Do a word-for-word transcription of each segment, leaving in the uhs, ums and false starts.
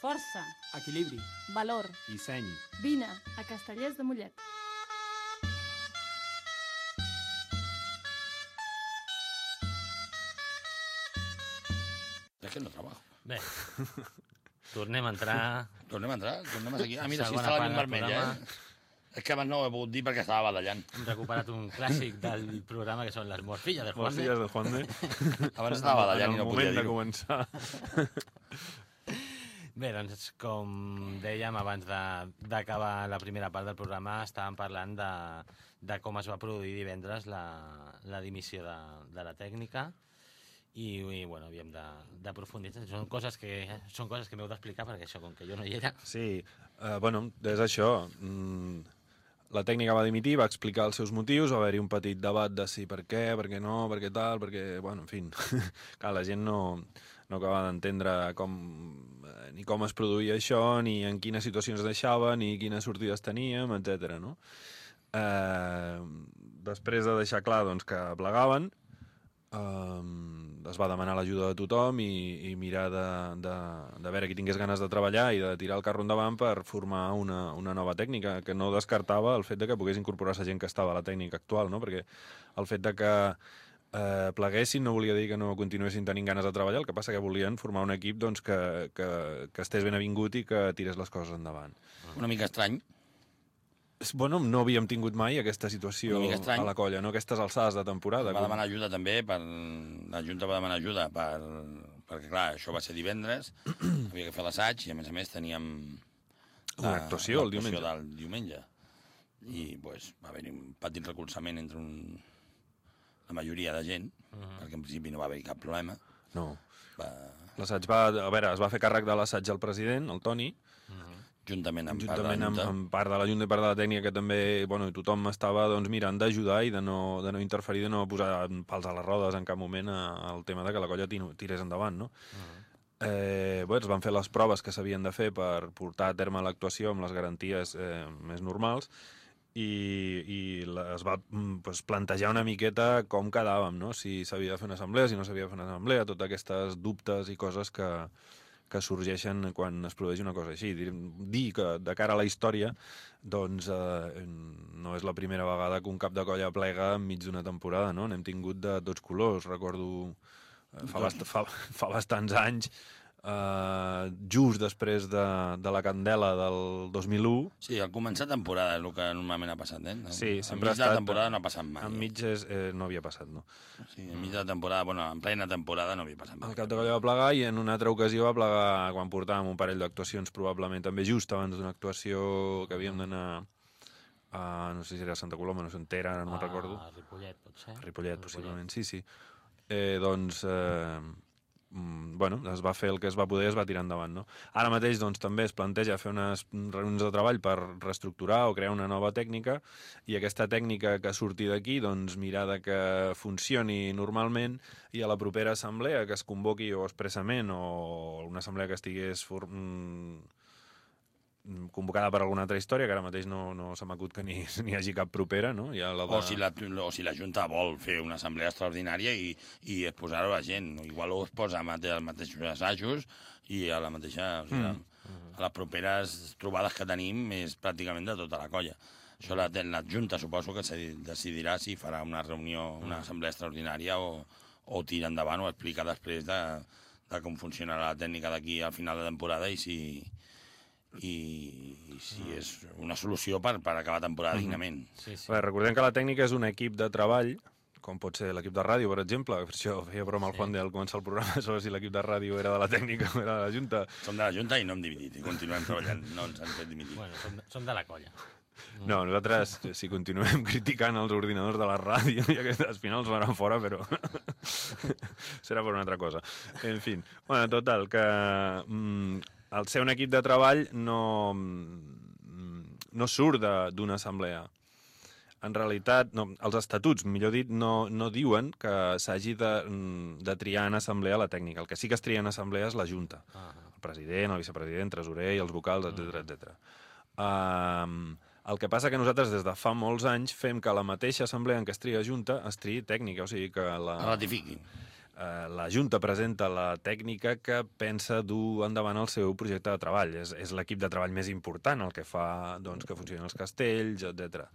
Força. Equilibri. Valor. I seny. Vine a Castellers de Mollet. És que no trabajo. Bé, tornem a entrar... Tornem a entrar, tornem a seguir. Ah, mira, sí, Segona està la part llum del vermella, programa. eh? És que abans no ho he pogut dir perquè estava badallant. Hem recuperat un clàssic del programa que són les morcilles de Juan. Morcilles de Juan de. Abans estava badallant i no podia En el moment de dir-ho. començar. Bé, doncs, com dèiem, abans de- d'acabar la primera part del programa, estàvem parlant de, de com es va produir divendres la, la dimissió de, de la tècnica i, i bueno, havíem de- d'aprofundir. Són coses que són coses que m'heu d'explicar perquè això, com que jo no hi era... Sí, uh, bueno, és això. Mm, la tècnica va dimitir, va explicar els seus motius, va haver-hi un petit debat de si per què, per què no, per què tal, perquè, bueno, en fi, clar, la gent no, no acaba d'entendre com, eh, ni com es produïa això, ni en quines situacions deixava, ni quines sortides teníem, etcètera. No? Eh, després de deixar clar doncs, que plegaven, Um, es va demanar l'ajuda de tothom i, i mirar de, de, de veure qui tingués ganes de treballar i de tirar el carro endavant per formar una, una nova tècnica, que no descartava el fet de que pogués incorporar-se gent que estava a la tècnica actual, no? Perquè el fet de que eh, pleguessin no volia dir que no continuessin tenint ganes de treballar, el que passa que volien formar un equip doncs, que, que, que estés ben avingut i que tirés les coses endavant. Una mica estrany. Bueno, no havíem tingut mai aquesta situació Una mica estrany. a la colla, no? Aquestes alçades de temporada. Va demanar ajuda també, per... la Junta va demanar ajuda per... perquè, clar, això va ser divendres, havia que fer l'assaig i, a més a més, teníem... Una actuació el diumenge. del diumenge. I, doncs, va haver-hi un petit recolzament entre un... la majoria de gent, uh -huh. perquè en principi no va haver-hi cap problema. No. Va... L'assaig va... A veure, es va fer càrrec de l'assaig al president, el Toni, Uh -huh. Juntament amb juntament part amb, de la Junta. amb part de la Junta i part de la tècnica, que també, bueno, tothom estava doncs, mirant d'ajudar i de no, de no interferir, de no posar pals a les rodes en cap moment al tema de que la colla tino- tirés endavant, no? Uh-huh. eh, bé, es van fer les proves que s'havien de fer per portar a terme l'actuació amb les garanties eh, més normals i, i la, es va pues, plantejar una miqueta com quedàvem, no? Si s'havia de fer una assemblea, si no s'havia de fer una assemblea, totes aquestes dubtes i coses que que sorgeixen quan es produeix una cosa així. Dir, dir que de cara a la història doncs eh, no és la primera vegada que un cap de colla plega enmig d'una temporada, no? N'hem tingut de tots colors, recordo eh, fa, bast fa, fa bastants anys, eh, just després de, de la Candela del dos mil u. Sí, al començar temporada és el que normalment ha passat, eh? Sí, sempre enmig de la temporada no ha passat mai. Enmig és, eh, no havia passat, no? Sí, enmig de la temporada, bueno, en plena temporada no havia passat mai. El cap de colla va plegar i en una altra ocasió va plegar quan portàvem un parell d'actuacions, probablement també just abans d'una actuació que havíem d'anar a, no sé si era a Santa Coloma, no sé on era, ara no me'n recordo. A Ripollet, pot ser? A Ripollet, possiblement, sí, sí. Eh, doncs, eh, mm, bueno, es va fer el que es va poder i es va tirar endavant, no? Ara mateix, doncs, també es planteja fer unes reunions de treball per reestructurar o crear una nova tècnica i aquesta tècnica que surti d'aquí, doncs, mirar de que funcioni normalment i a la propera assemblea que es convoqui o expressament o una assemblea que estigués for... convocada per alguna altra història, que ara mateix no, no se m'acut que ni, ni hi hagi cap propera, no? Ja la de... O si, la, o si la Junta vol fer una assemblea extraordinària i, i exposar-ho a la gent. Igual ho es posa als mateixos assajos i a la mateixa... O sigui, mm. a les properes trobades que tenim és pràcticament de tota la colla. Això la, la Junta suposo que decidirà si farà una reunió, una assemblea extraordinària o, o tira endavant o explica després de, de com funcionarà la tècnica d'aquí al final de temporada i si... i, i si és una solució per, per acabar temporada dignament. Sí, sí. Bé, recordem que la tècnica és un equip de treball, com pot ser l'equip de ràdio, per exemple. Per això feia broma al Sí. Juan de al començar el programa sobre si l'equip de ràdio era de la tècnica o era de la Junta. Som de la Junta i no hem dividit, i continuem treballant, no ens han fet dimitir. Bueno, som, som de la colla. No, nosaltres, si continuem criticant els ordinadors de la ràdio, i aquestes al final els faran fora, però serà per una altra cosa. En fi, bueno, total, que mm, el ser un equip de treball no, no surt d'una assemblea. En realitat, no, els estatuts, millor dit, no, no diuen que s'hagi de, de triar en assemblea la tècnica. El que sí que es tria en assemblea és la Junta. Ah. El president, el vicepresident, tresorer i els vocals, etcètera, etcètera. Um, el que passa que nosaltres des de fa molts anys fem que la mateixa assemblea en què es tria Junta es triï tècnica, o sigui que la... Ratifiquin. eh, la Junta presenta la tècnica que pensa dur endavant el seu projecte de treball. És, és l'equip de treball més important, el que fa doncs, que funcionin els castells, etcètera.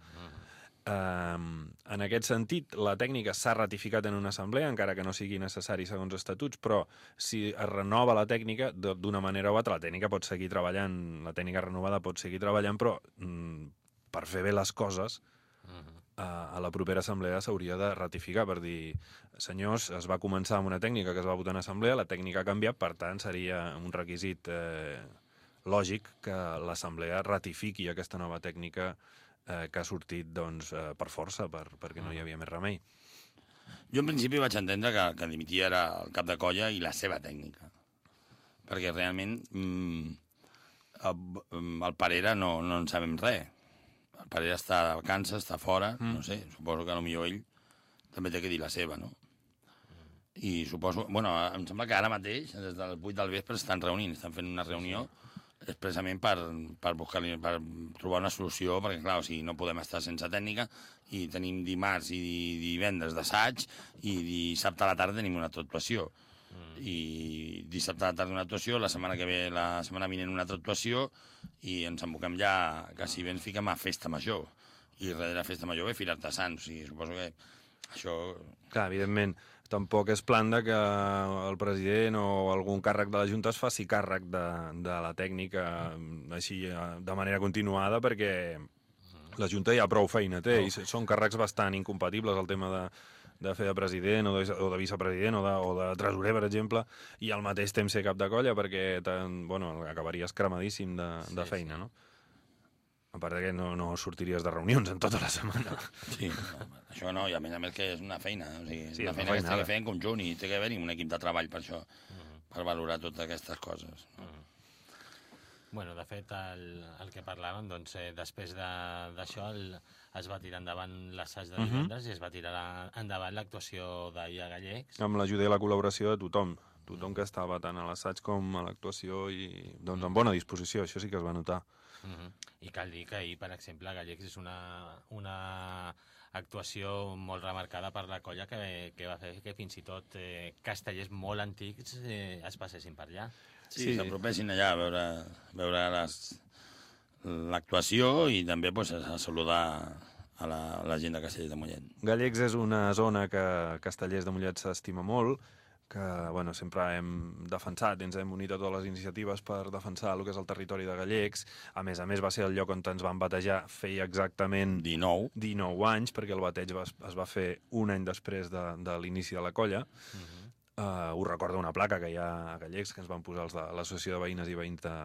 Um, en aquest sentit, la tècnica s'ha ratificat en una assemblea, encara que no sigui necessari segons estatuts, però si es renova la tècnica, d'una manera o altra, la tècnica pot seguir treballant, la tècnica renovada pot seguir treballant, però mm, per fer bé les coses, uh, a la propera assemblea s'hauria de ratificar per dir, senyors, es va començar amb una tècnica que es va votar en assemblea, la tècnica ha canviat, per tant, seria un requisit eh, lògic que l'assemblea ratifiqui aquesta nova tècnica Eh, que ha sortit doncs, eh, per força, per, perquè no hi havia més remei. Jo en principi vaig entendre que, que dimitia era el cap de colla i la seva tècnica. Perquè realment mm, el, el Parera no, no en sabem res. El Parera està de vacances, està fora, mm. no sé, suposo que potser ell també té que dir la seva, no? I suposo... Bueno, em sembla que ara mateix, des de les vuit del vespre, estan reunint, estan fent una reunió expressament per, per, buscar, per trobar una solució, perquè, clar, o sigui, no podem estar sense tècnica i tenim dimarts i divendres d'assaig i dissabte a la tarda tenim una altra actuació. Mm. I dissabte a la tarda una actuació, la setmana que ve, la setmana vinent una altra actuació i ens emboquem ja, quasi bé ens fiquem a festa major. I darrere festa major ve Fira Artesans, o sigui, suposo que això... Clar, evidentment, tampoc és plan de que el president o algun càrrec de la Junta es faci càrrec de, de la tècnica així de manera continuada, perquè la Junta ja prou feina té, i són càrrecs bastant incompatibles, el tema de, de fer de president o de, o de vicepresident o de, o de tresorer, per exemple, i al mateix temps ser cap de colla, perquè bueno, acabaries cremadíssim de, de feina, sí, sí. no? A part que no, no sortiries de reunions en tota la setmana. Sí, no, això no, i a més a més que és una feina, o sigui, sí, una feina que s'ha de fer en conjunt i té que haver-hi un equip de treball per això, uh-huh. per valorar totes aquestes coses. Uh-huh. Bueno, de fet, el, el que parlàvem, doncs, eh, després d'això de, es va tirar endavant l'assaig de divendres uh-huh. i es va tirar endavant l'actuació d'ahir a Gallecs. Amb l'ajuda i la col·laboració de tothom, tothom que estava tant a l'assaig com a l'actuació i doncs en bona disposició, això sí que es va notar. Uh -huh. I cal dir que ahir, per exemple, Gallecs és una, una actuació molt remarcada per la colla que, que va fer que fins i tot eh, castellers molt antics eh, es passessin per allà. Sí, sí. s'apropessin allà a veure, veure l'actuació i també pues, a saludar a la, a la gent de Castellers de Mollet. Gallecs és una zona que Castellers de Mollet s'estima molt, que bueno, sempre hem defensat, ens hem unit a totes les iniciatives per defensar el que és el territori de Gallecs. A més a més, va ser el lloc on ens van batejar feia exactament dinou anys, perquè el bateig va, es va fer un any després de, de l'inici de la colla. Uh-huh. uh, ho recorda una placa que hi ha a Gallecs, que ens van posar els de l'Associació de Veïnes i Veïns de,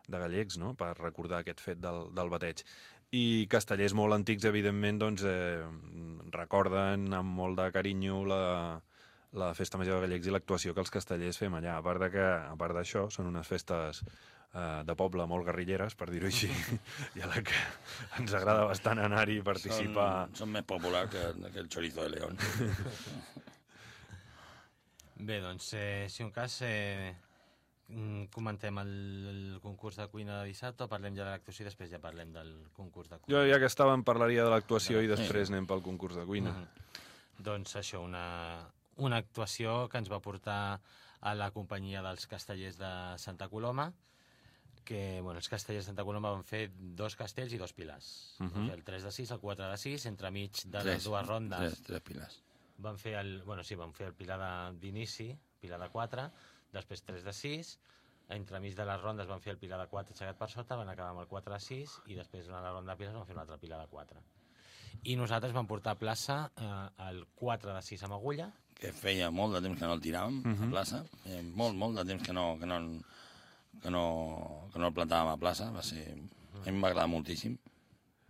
de Gallecs, no?, per recordar aquest fet del, del bateig. I castellers molt antics, evidentment, doncs, eh, recorden amb molt de carinyo la... la Festa Major de Gallecs i l'actuació que els castellers fem allà. A part de que, a part d'això, són unes festes eh, de poble molt guerrilleres, per dir-ho així, i a la que ens agrada bastant anar-hi i participar. Són, són més populars que, que el chorizo de León. Bé, doncs, eh, si un cas, eh, comentem el, el concurs de cuina de dissabte o parlem ja de l'actuació i després ja parlem del concurs de cuina? Jo, ja que estàvem, parlaria de l'actuació i després anem pel concurs de cuina. Mm-hmm. Doncs això, una... una actuació que ens va portar a la companyia dels castellers de Santa Coloma, que bueno, els castellers de Santa Coloma van fer dos castells i dos pilars. Uh -huh. El tres de sis, el quatre de sis, entremig de les dues rondes. Tres, tres pilars. Van fer el, bueno, sí, van fer el pilar d'inici, pilar de quatre, després tres de sis, entremig de les rondes van fer el pilar de quatre aixecat per sota, van acabar amb el quatre de sis i després durant la ronda de pilars van fer un altre pilar de quatre. I nosaltres vam portar a plaça eh, el quatre de sis amb agulla, que feia molt de temps que no el tiràvem uh-huh. a plaça, feia molt, molt de temps que no, que no, que no, que no el plantàvem a plaça, va ser... a mi m'agrada moltíssim.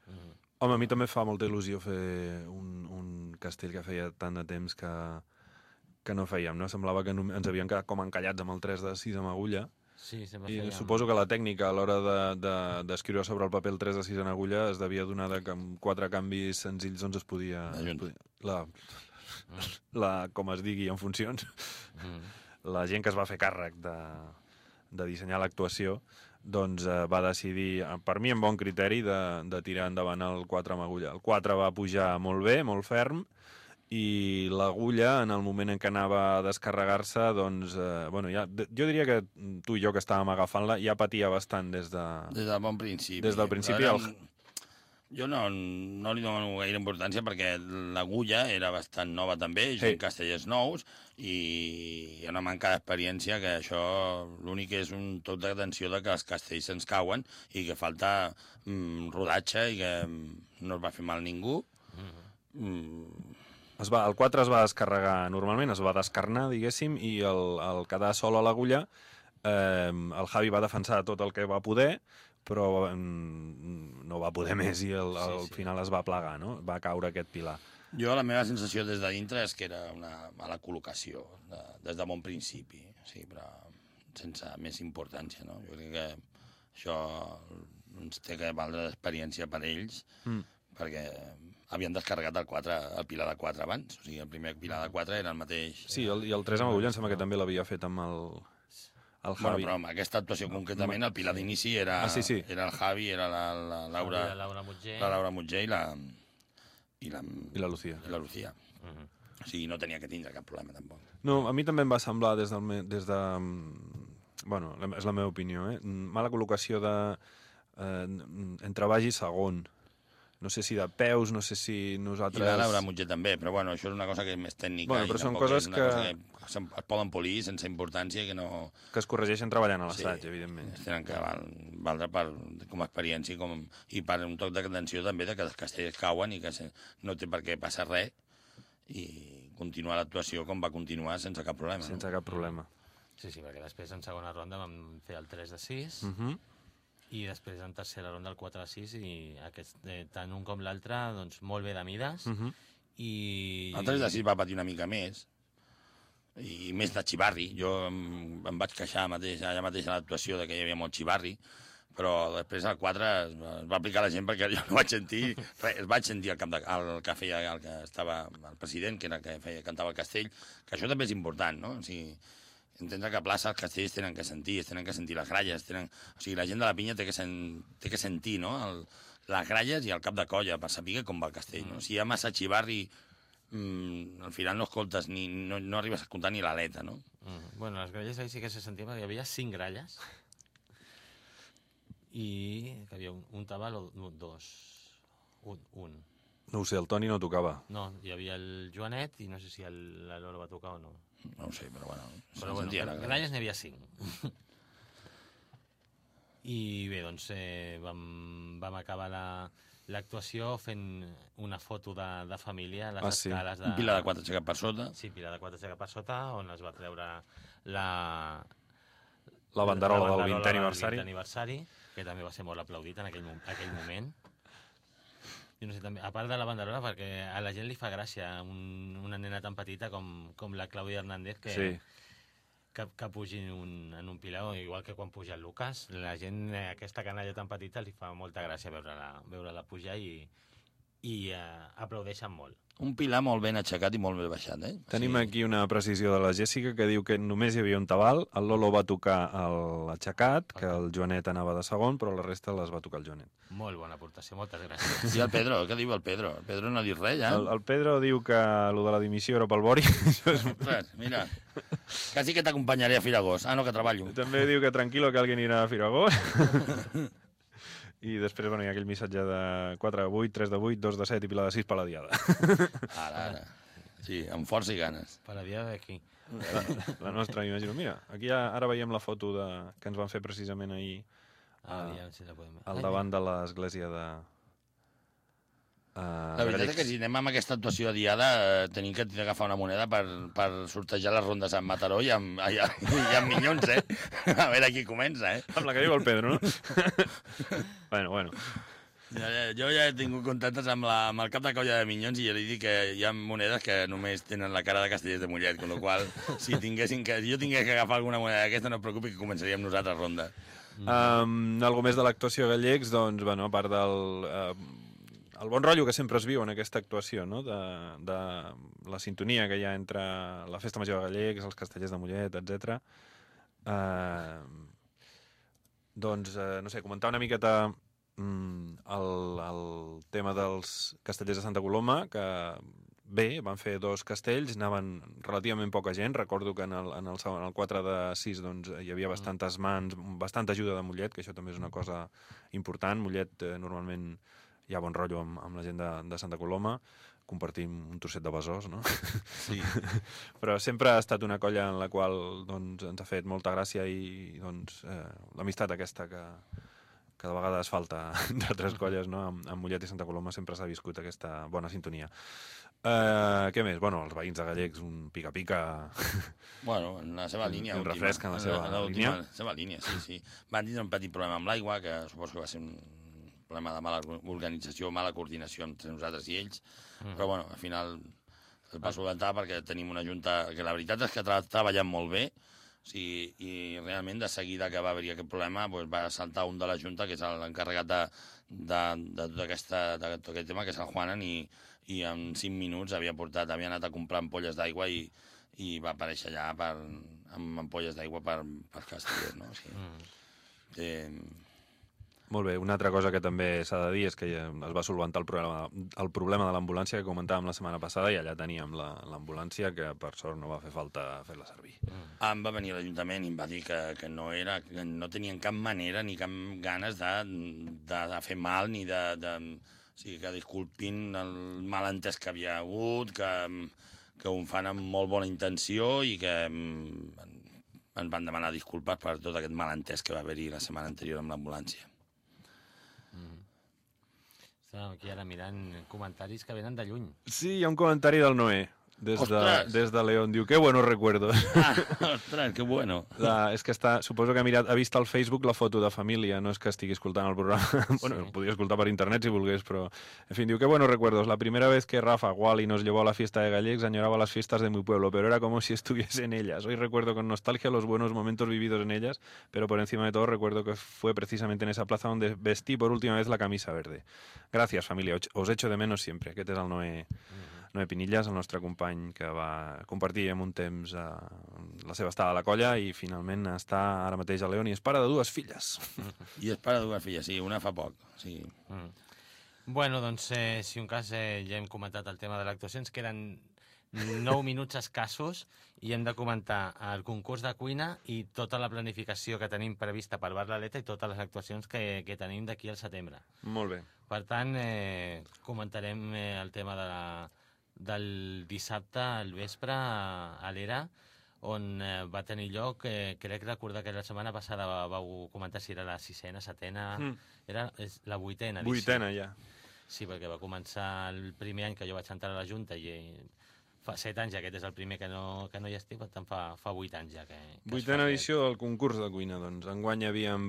Uh-huh. Home, a mi també fa molta il·lusió fer un, un castell que feia tant de temps que, que no fèiem, no? Semblava que no, ens havien quedat com encallats amb el tres de sis amb agulla, sí, sempre i fèiem... suposo que la tècnica a l'hora d'escriure de, de, sobre el paper el tres de sis en agulla es devia donar de que amb quatre canvis senzills doncs es podia... Es podia la, la, com es digui, en funcions, mm. la gent que es va fer càrrec de, de dissenyar l'actuació, doncs eh, va decidir, per mi amb bon criteri, de, de tirar endavant el quatre amb agulla. El quatre va pujar molt bé, molt ferm, i l'agulla, en el moment en què anava a descarregar-se, doncs, eh, bueno, ja, jo diria que tu i jo que estàvem agafant-la ja patia bastant des de... Des del bon principi. Des del principi. Però El... era... Jo no, no li dono gaire importància perquè l'agulla era bastant nova també, sí. En castellers nous, i hi ha una manca d'experiència que això l'únic és un toc d'atenció de que els castells se'ns cauen i que falta mm, rodatge i que no es va fer mal ningú. Mm-hmm. Mm. Es va, el quatre es va descarregar normalment, es va descarnar, diguéssim, i el, el quedar sol a l'agulla, eh, el Javi va defensar tot el que va poder, però mm, no va poder més i el, al sí, sí. final es va plegar, no? Va caure aquest pilar. Jo la meva sensació des de dintre és que era una mala col·locació, de, des de bon principi, sí, però sense més importància, no? Jo crec que això ens té que valdre d'experiència per ells, mm. perquè havien descarregat el, quatre, el pilar de quatre abans, o sigui, el primer pilar de quatre era el mateix. Sí, el, i el tres amb agulla em sembla que també l'havia fet amb el... el Javi. Bueno, però amb aquesta actuació concretament, el pilar d'inici era, ah, sí, sí. era el Javi, era la, la Laura, la Laura Mutger, la Laura Mutger i la... I la, I la Lucía. I la Lucía. Uh -huh. O sigui, no tenia que tindre cap problema, tampoc. No, a mi també em va semblar des, del, des de... Bueno, és la meva opinió, eh? Mala col·locació de... Eh, entre baix i segon. No sé si de peus, no sé si nosaltres... I la Laura Mutger també, però bueno, això és una cosa que és més tècnica. Bueno, però i són coses que... Cosa que es poden polir sense importància i que no... Que es corregeixen treballant a l'assaig, sí, evidentment. Es tenen que val, valdre per, com a experiència i, com, i per un toc d'atenció també de que els castells cauen i que se, no té per què passar res i continuar l'actuació com va continuar sense cap problema. Sense no? cap problema. Sí, sí, perquè després en segona ronda vam fer el tres de sis, uh -huh. i després en tercera ronda el quatre a sis, i aquest, eh, tant un com l'altre, doncs molt bé de mides. Uh -huh. I... El tres de sis va patir una mica més, i més de xivarri. Jo em, em vaig queixar mateix, allà mateix a l'actuació de que hi havia molt xivarri, però després al quatre es va, es va aplicar la gent perquè jo no vaig sentir res, es vaig sentir el, cap de, el que feia el que estava el president, que era el que feia, cantava el castell, que això també és important, no? O sigui, entendre que a plaça els castells tenen que sentir, tenen que sentir les gralles, tenen... o sigui, la gent de la pinya té que, sen... té que sentir, no?, el... les gralles i el cap de colla per saber com va el castell, no? Si hi ha massa xivarri, mmm, al final no escoltes ni, no, no arribes a escoltar ni l'aleta, no? Mm. Bueno, les gralles ahí sí que se sentia perquè hi havia cinc gralles i que havia un, un tabal o dos, un, un. No ho sé, el Toni no tocava. No, hi havia el Joanet i no sé si el, la Lola va tocar o no. No ho sé, però bueno... Però bueno, gralles n'hi havia cinc. I bé, doncs eh, vam, vam acabar l'actuació la, fent una foto de, de família a les ah, sí. escales de... Un pilar de quatre aixecat per sota. Sí, pilar de quatre aixecat per sota, on es va treure la... La banderola del vintè aniversari. aniversari, que també va ser molt aplaudit en aquell, aquell moment. Jo no sé, també, a part de la banderola, perquè a la gent li fa gràcia un, una nena tan petita com, com la Clàudia Hernández que, sí. que, que pugi en un, en un pilar, igual que quan puja el Lucas. La gent, aquesta canalla tan petita, li fa molta gràcia veure-la veure pujar i, i uh, aplaudeixen molt. Un pilar molt ben aixecat i molt ben baixat, eh? Tenim sí. aquí una precisió de la Jèssica que diu que només hi havia un tabal, el Lolo va tocar l'aixecat, que el Joanet anava de segon, però la resta les va tocar el Joanet. Molt bona aportació, moltes gràcies. I el Pedro, què diu el Pedro? El Pedro no ha dit res, ja? El, el Pedro diu que el de la dimissió era pel Bori. Ostres, mira, quasi que t'acompanyaré a Firagós. Ah, no, que treballo. També diu que tranquil·lo que alguien irà a Firagós. I després, bueno, hi ha aquell missatge de quatre de vuit, tres de vuit, dos de set i Pilar de sis per la diada. Ara, ara. Sí, amb força i ganes. Per la diada d'aquí. La, la nostra, m'imagino. Mira, aquí ja, ara veiem la foto de, que ens van fer precisament ahir ah, a, ja, si la podem veure. al davant de l'església de... Uh, la veritat és que si anem amb aquesta actuació de diada eh, tenim que agafar una moneda per, per sortejar les rondes amb Mataró i amb, i, i amb Minyons, eh? A veure qui comença, eh? Amb la que diu el Pedro, no? bueno, bueno. Ja, jo ja he tingut contactes amb, la, amb el cap de colla de Minyons i ja li dic que hi ha monedes que només tenen la cara de Castellers de Mollet, amb la qual si, tinguessin que, si jo tingués que agafar alguna moneda d'aquesta no et preocupi que començaríem nosaltres ronda. Um, algo més de l'actuació Gallecs, doncs, bueno, a part del... Uh, el bon rotllo que sempre es viu en aquesta actuació, no? de, de la sintonia que hi ha entre la Festa Major de Gallecs, els Castellers de Mollet, etcètera. Uh, doncs, uh, no sé, comentar una miqueta mm, el, el tema dels Castellers de Santa Coloma, que bé, van fer dos castells, anaven relativament poca gent, recordo que en el, en el, segon, en el quatre de sis doncs, hi havia bastantes mans, bastanta ajuda de Mollet, que això també és una cosa important. Mollet eh, normalment hi ha bon rotllo amb, amb la gent de, de Santa Coloma, compartim un trosset de besòs, no? Sí. Però sempre ha estat una colla en la qual doncs, ens ha fet molta gràcia i doncs, eh, l'amistat aquesta que, que de vegades falta d'altres colles, no? Amb, amb Mollet i Santa Coloma sempre s'ha viscut aquesta bona sintonia. Uh, què més? Bueno, els veïns de Gallecs, un pica-pica... Bueno, en la seva línia. Un última, refresc en la seva en la, línia. En la seva línia, sí, sí. Van tindre un petit problema amb l'aigua, que suposo que va ser un problema de mala organització, mala coordinació entre nosaltres i ells, mm. però bueno, al final es va solventar perquè tenim una junta que la veritat és que ha treballat molt bé, o sigui, i realment de seguida que va haver-hi aquest problema doncs va saltar un de la junta, que és l'encarregat de, de, de, tot aquesta, de tot aquest tema, que és el Juanan, i, i en cinc minuts havia portat, havia anat a comprar ampolles d'aigua i, i va aparèixer allà per, amb ampolles d'aigua per, per Castellers, no? O sigui, mm. eh, Molt bé, una altra cosa que també s'ha de dir és que es va solventar el problema, el problema de l'ambulància que comentàvem la setmana passada i allà teníem l'ambulància que per sort no va fer falta fer-la servir. Mm. Em va venir a l'Ajuntament i em va dir que, que, no era, que no tenien cap manera ni cap ganes de, de, de fer mal ni de... de o sigui, que disculpin el malentès que havia hagut, que, que ho fan amb molt bona intenció i que ens van demanar disculpes per tot aquest malentès que va haver-hi la setmana anterior amb l'ambulància. Mm. Estàvem aquí ara mirant comentaris que venen de lluny. Sí, hi ha un comentari del Noé, des de, des de León. Diu, qué buenos recuerdos. Ah, ostres, que bueno. La, és que està, suposo que ha, mirat, ha vist al Facebook la foto de família, no és que estigui escoltant el programa. Bueno, Sí. podria escoltar per internet si volgués, però... En fin, diu, qué buenos recuerdos. La primera vez que Rafa Wally nos llevó a la fiesta de Gallecs, añoraba las fiestas de mi pueblo, pero era como si estuviese en ellas. Hoy recuerdo con nostalgia los buenos momentos vividos en ellas, pero por encima de todo recuerdo que fue precisamente en esa plaza donde vestí por última vez la camisa verde. Gracias, familia. Os echo de menos siempre. Aquest és el Noé... Noé Pinillas, el nostre company que va compartir en un temps eh, la seva estada a la colla i finalment està ara mateix a León i és pare de dues filles. I és pare de dues filles, sí, una fa poc. Sí. Mm. Bueno, doncs, eh, si un cas eh, ja hem comentat el tema de l'actuació, ens queden nou minuts escassos i hem de comentar el concurs de cuina i tota la planificació que tenim prevista per Bar l'Aleta i totes les actuacions que, que tenim d'aquí al setembre. Molt bé. Per tant, eh, comentarem eh, el tema de la, del dissabte al vespre a, a l'Era, on eh, va tenir lloc, eh, crec recordar que la setmana passada vau comentar si era la sisena, setena... Mm. Era és la vuitena edició. Vuitena, ja. Sí, perquè va començar el primer any que jo vaig entrar a la Junta i fa set anys, aquest és el primer que no, que no hi estic, per tant fa, fa vuit anys ja que... que Vuitena edició del concurs de cuina, doncs. Enguany havíem,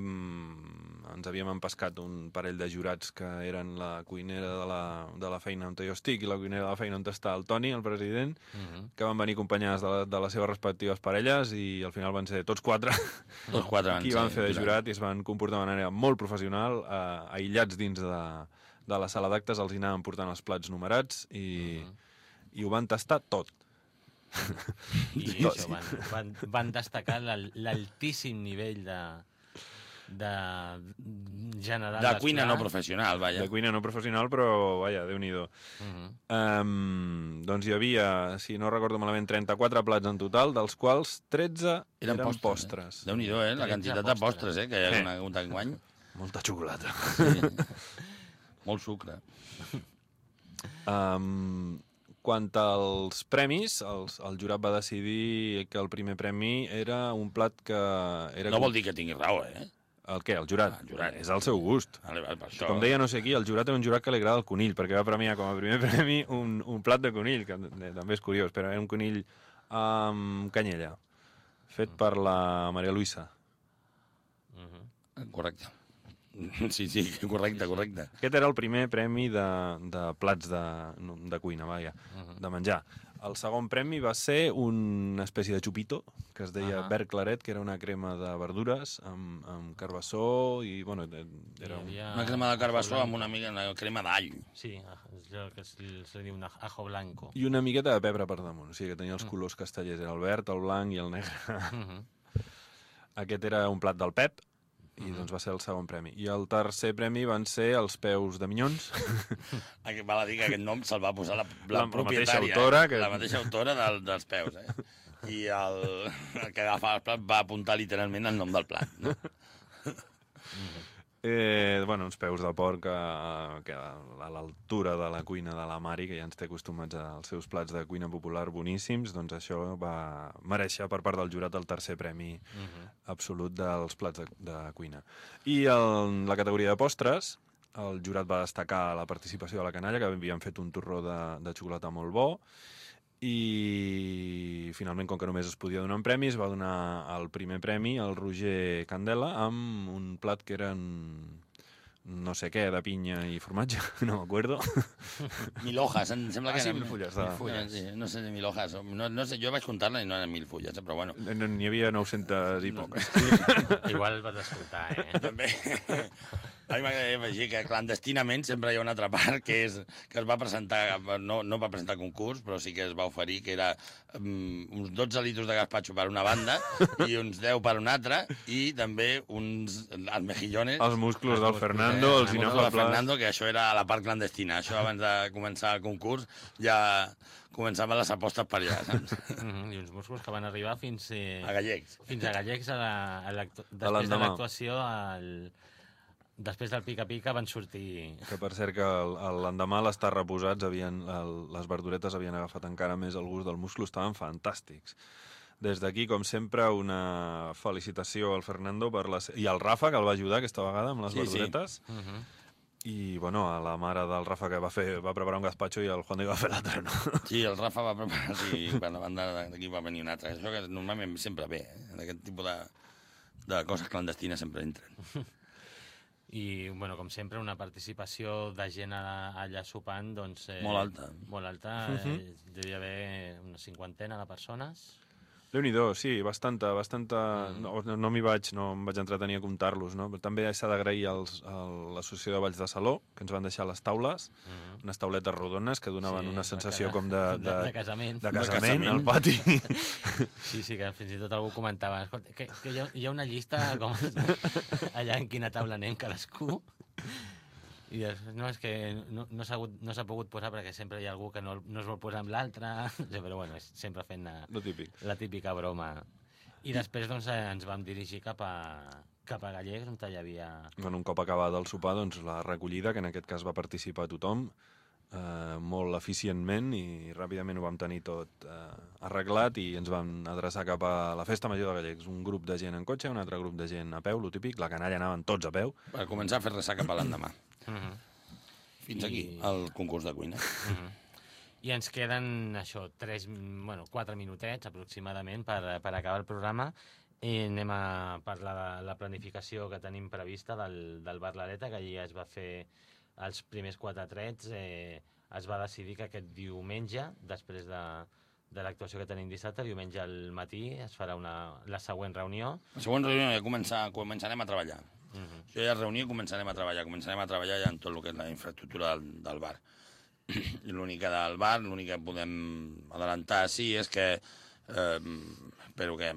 ens havíem empescat un parell de jurats que eren la cuinera de la, de la feina on jo estic i la cuinera de la feina on està el Toni, el president, uh -huh. que van venir acompanyades de, la, de les seves respectives parelles i al final van ser tots quatre, Tots quatre van qui ser van fer de jurat. jurat i es van comportar de manera molt professional, eh, aïllats dins de, de la sala d'actes, els hi anaven portant els plats numerats i... Uh -huh. i ho van tastar tot. I això, van, van, van destacar l'altíssim nivell de, de general De cuina no professional, vaja. De cuina no professional, però, vaja, Déu-n'hi-do. Uh -huh. um, doncs hi havia, si no recordo malament, trenta-quatre plats en total, dels quals tretze eren, eren postres. postres. Eh? Déu-n'hi-do, eh? La quantitat de postres eh? que hi ha eh. hagut enguany. Molta xocolata. Sí. Molt sucre. Um, quant als premis, els, el jurat va decidir que el primer premi era un plat que... Era no vol dir que tingui raó, eh? El què? El jurat? Ah, el jurat. És el seu gust. Vale, vale, per això. Com deia no sé qui, el jurat era un jurat que li agrada el conill, perquè va premiar com a primer premi un, un plat de conill, que també és curiós, però era un conill amb canyella, fet per la Maria Luisa. Uh -huh. Correcte. Sí, sí, correcte, correcte. Aquest era el primer premi de, de plats de, de cuina, vaja, uh -huh. de menjar. El segon premi va ser una espècie de xupito, que es deia uh -huh. verd claret, que era una crema de verdures amb, amb carbassó i, bueno, era un... Una crema de carbassó amb una mica una crema d'all. Sí, és el que se li diu un ajo blanco. I una miqueta de pebre per damunt, o sigui que tenia els colors castellers, era el verd, el blanc i el negre. Uh -huh. Aquest era un plat del Pep. i doncs va ser el segon premi. I el tercer premi van ser els peus de minyons. Val a dir que aquest nom se'l va posar la, la, La- la propietària, mateixa autora eh? que- La mateixa autora del, dels peus, eh? I el, el que agafava el plat va apuntar literalment el nom del plat, no? Eh, bueno, uns peus de porc a, que a, a l'altura de la cuina de la Mari, que ja ens té acostumats als seus plats de cuina popular boníssims, doncs això va mereixer per part del jurat el tercer premi uh -huh. absolut dels plats de, de cuina. I en la categoria de postres, el jurat va destacar la participació de la canalla, que havien fet un torró de, de xocolata molt bo, i finalment, com que només es podia donar un premi, es va donar el primer premi al Roger Candela amb un plat que eren no sé què, de pinya i formatge, no m'acuerdo. Mil hojas, em sembla que Ah, sí, eren... mil fulles, de- Mil fulles, sí. No sé, mil hojas. No, no sé, jo vaig comptar-la i no eren mil fulles, eh, però bueno. N'hi havia nou-centes i poques. Igual vas escoltar, eh? També. A mi m'agradaria afegir que clandestinament sempre hi ha una altra part que, és, que es va presentar, no, no va presentar concurs, però sí que es va oferir, que era um, uns dotze litros de gazpacho per una banda i uns deu per una altra, i també uns els mejillones. Els musclos del Fernando, Eh, els el musclo del inofables. Fernando, que això era a la part clandestina. Això abans de començar el concurs ja començaven les apostes per allà, saps? Mm -hmm. I uns músculs que van arribar fins... Eh, A gallecs. Fins a gallecs a la, a després de l'endemà. l'actuació al... Després del pica-pica van sortir... Que per cert que el- el- l'endemà les tarres reposats havien, el, les verduretes havien agafat encara més el gust del musclo, estaven fantàstics. Des d'aquí, com sempre, una felicitació al Fernando per la, se- i al Rafa, que el va ajudar aquesta vegada amb les Sí, sí. verduretes. Uh -huh. I, bueno, a la mare del Rafa, que va, fer, va preparar un gazpacho i el Juan de va fer l'altre, no? Sí, el Rafa va preparar, sí, per la banda d'aquí va venir un altre. Això que normalment sempre ve, eh? Aquest tipus de, de coses clandestines sempre entren. I, bueno, com sempre, una participació de gent a- allà sopant, doncs... Eh, Molt alta. Molt alta. Eh, devia haver una cinquantena de persones. Déu-n'hi-do, sí, bastanta, bastanta... No, no, no m'hi vaig, no em vaig entretenir a comptar-los, no? Però també s'ha d'agrair als- a l'Associació de Balls de Saló, que ens van deixar les taules, Uh -huh. unes tauletes rodones que donaven Sí, una de sensació ca- com de, de, de- de casament. de De casament casament. al pati. Sí, sí, que fins i tot algú comentava escolta, que, que hi, ha, hi ha una llista com allà en quina taula anem cadascú. I dius, no, és que no, no s'ha hagut- no s'ha pogut posar perquè sempre hi ha algú que no, no es vol posar amb l'altre, però bueno, és sempre fent la, Lo típic. la típica broma. I després doncs, eh, ens vam dirigir cap a, cap a Gallecs, on hi havia... Bueno, un cop acabat el sopar, doncs la recollida, que en aquest cas va participar tothom, eh, molt eficientment, i ràpidament ho vam tenir tot eh, arreglat i ens vam adreçar cap a la Festa Major de Gallecs. Un grup de gent en cotxe, un altre grup de gent a peu, lo típic, la canalla anaven tots a peu. Per començar a fer ressaca per l'endemà. Uh -huh. Fins I- aquí, el concurs de cuina. Uh -huh. I ens queden, això, tres, bueno, quatre minutets aproximadament per, per acabar el programa i anem a parlar de la planificació que tenim prevista del, del Bar L'Areta, que allí es va fer els primers quatre trets. Eh, es va decidir que aquest diumenge, després de, de l'actuació que tenim dissabte, diumenge al matí es farà una, la següent reunió. La següent reunió ja començar, començarem a treballar. Uh -huh. Jo ja reunió i començarem a treballar. Començarem a treballar ja en tot el que és la infraestructura del, del bar. I l'únic que del bar, l'únic que podem adelantar, sí, és que eh, espero que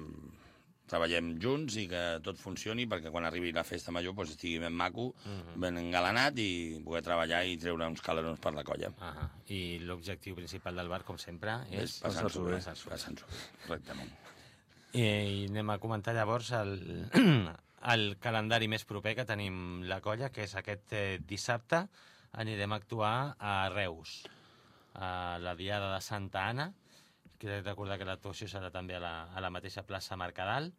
treballem junts i que tot funcioni perquè quan arribi la festa major doncs, estigui ben maco, uh -huh. ben engalanat i poder treballar i treure uns calerons per la colla. Uh -huh. I l'objectiu principal del bar, com sempre, és... És passar-s'ho bé. passar-s'ho bé. Passar-s'ho bé, correctament. I, I anem a comentar llavors el, el calendari més proper que tenim la colla, que és aquest eh, dissabte. Anirem a actuar a Reus, a la Diada de Santa Anna. Crec recordar que l'actuació serà també a la, a la mateixa plaça Mercadal,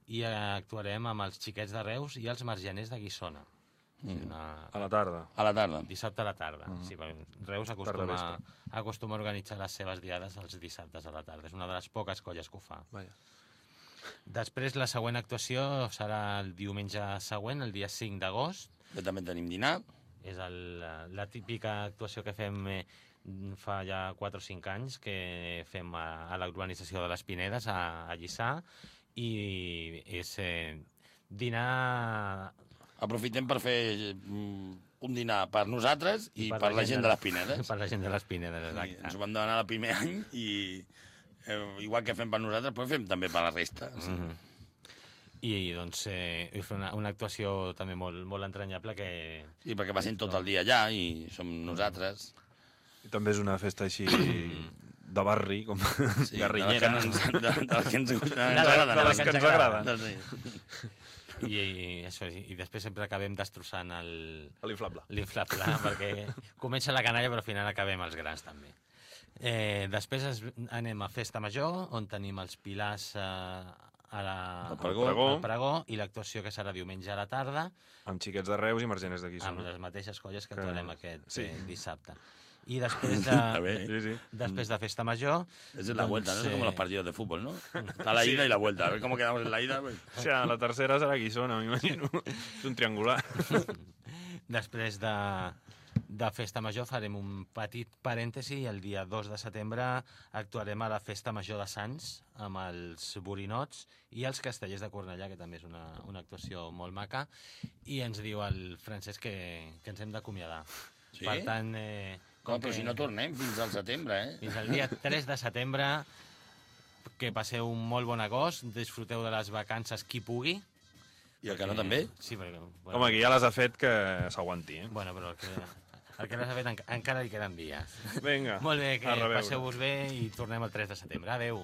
i eh, actuarem amb els xiquets de Reus i els margeners de Guissona. Mm. O sigui, una... A la tarda. A la tarda. Dissabte a la tarda. Mm. Sí, perquè Reus Tarda acostuma, vespre. acostuma a organitzar les seves diades els dissabtes a la tarda. És una de les poques colles que ho fa. Vaja. Després, la següent actuació serà el diumenge següent, el dia cinc d'agost. Ja també tenim dinar. És el, la, la típica actuació que fem eh, fa ja quatre o cinc anys, que fem a, a l'urbanització de les Pinedes, a, a Lliçà, i és eh, dinar... Aprofitem per fer mm, un dinar per nosaltres i, I per, per la gent de les Pinedes. Per la gent de les Pinedes, I exacte. ens ho vam demanar el primer any i eh, igual que fem per nosaltres, però fem també per la resta. Sí. Mm -hmm. I doncs eh, i fer una, una actuació també molt, molt entranyable que... Sí, perquè passem tot el dia allà i som nosaltres. I també és una festa així de barri, com Sí, guerrillera. De les que ens, de, de les que ens, ens de agraden. de les que ens agraden. Sí. I, i, això, i, i després sempre acabem destrossant el, L'inflable. l'inflable, perquè comença la canalla però al final acabem els grans també. Eh, després es, anem a Festa Major, on tenim els pilars eh, a la, Al pregó. al pregó i l'actuació que serà diumenge a la tarda, Amb xiquets de Reus i margeners d'aquí. amb Són. les mateixes colles que Que- actuarem aquest sí. eh, dissabte. I després A de, ver, Sí, sí. després de Festa Major... es la vuelta, ¿no? Es como los eh, partidos de fútbol, ¿no? Está la ida y la vuelta. A ver cómo quedamos en la ida. Pues. O sigui, la tercera serà Guissona, m'imagino. És un triangular. Després de, de Festa Major farem un petit parèntesi i el dia dos de setembre actuarem a la Festa Major de Sants amb els borinots i els castellers de Cornellà, que també és una, una actuació molt maca, i ens diu el Francesc que, que ens hem d'acomiadar. Sí? Per tant, eh, Com, com però que si no tornem fins al setembre, eh? fins al dia tres de setembre, que passeu un molt bon agost, disfruteu de les vacances qui pugui. I el que no també? Sí, perquè... Bueno, Home, aquí ja les ha fet que s'aguanti, eh? Bueno, però el que, el que no s'ha fet enca- encara li queden dies. Vinga, Molt bé, que a reveure. passeu-vos bé i tornem el tres de setembre. Adéu.